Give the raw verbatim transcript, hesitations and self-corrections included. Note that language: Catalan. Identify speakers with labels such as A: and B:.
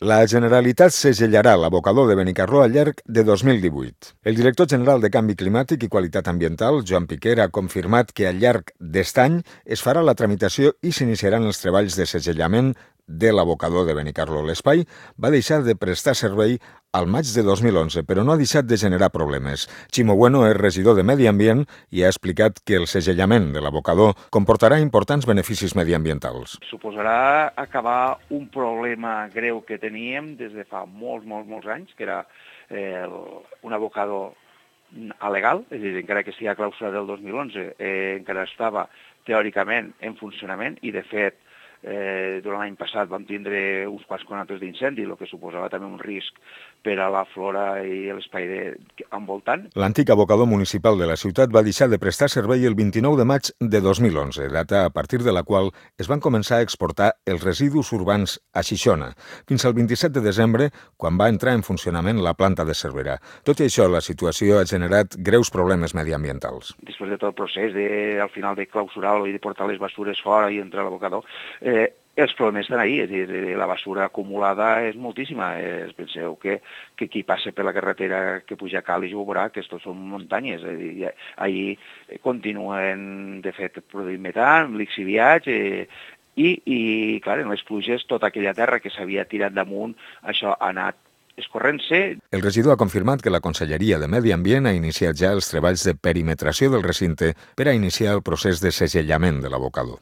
A: La Generalitat segellarà l'abocador de Benicarló al llarg de dos mil divuit. El director general de Canvi Climàtic i Qualitat Ambiental, Joan Piquer, ha confirmat que al llarg d'est any es farà la tramitació i s'iniciaran els treballs de segellament de l'abocador de Benicarló. L'espai va deixar de prestar servei al maig de dos mil onze, però no ha deixat de generar problemes. Ximo Bueno és regidor de Medi Ambient i ha explicat que el segellament de l'abocador comportarà importants beneficis mediambientals.
B: Suposarà acabar un problema greu que teníem des de fa molts, molts, molts anys, que era eh, un abocador alegal, és a dir, encara que sigui a clàusula del dos mil onze, eh, encara estava teòricament en funcionament i, de fet, Eh, durant l'any passat vam tindre uns quants conatos d'incendi, el que suposava també un risc per a la flora i l'espai envoltant.
A: L'antic abocador municipal de la ciutat va deixar de prestar servei el vint-i-nou de maig de dos mil onze, data a partir de la qual es van començar a exportar els residus urbans a Xixona, fins al vint-i-set de desembre, quan va entrar en funcionament la planta de Cervera. Tot i això, la situació ha generat greus problemes mediambientals.
B: Després de tot el procés, de, al final de clausurar-lo i de portar les bastures fora i entrar a l'abocador, Eh, els problemes estan ahí, és a dir, la basura acumulada és moltíssima. Eh, penseu que, que qui passa per la carretera que puja a Càlig ho veurà, que estos són muntanyes. És dir, ahir continuen, de fet, produint metan, lixiviats, eh, i, i, clar, en les pluges, tota aquella terra que s'havia tirat damunt, això ha anat escorrent-se.
A: El regidor ha confirmat que la Conselleria de Medi Ambient ha iniciat ja els treballs de perimetració del recinte per a iniciar el procés de segellament de l'abocador.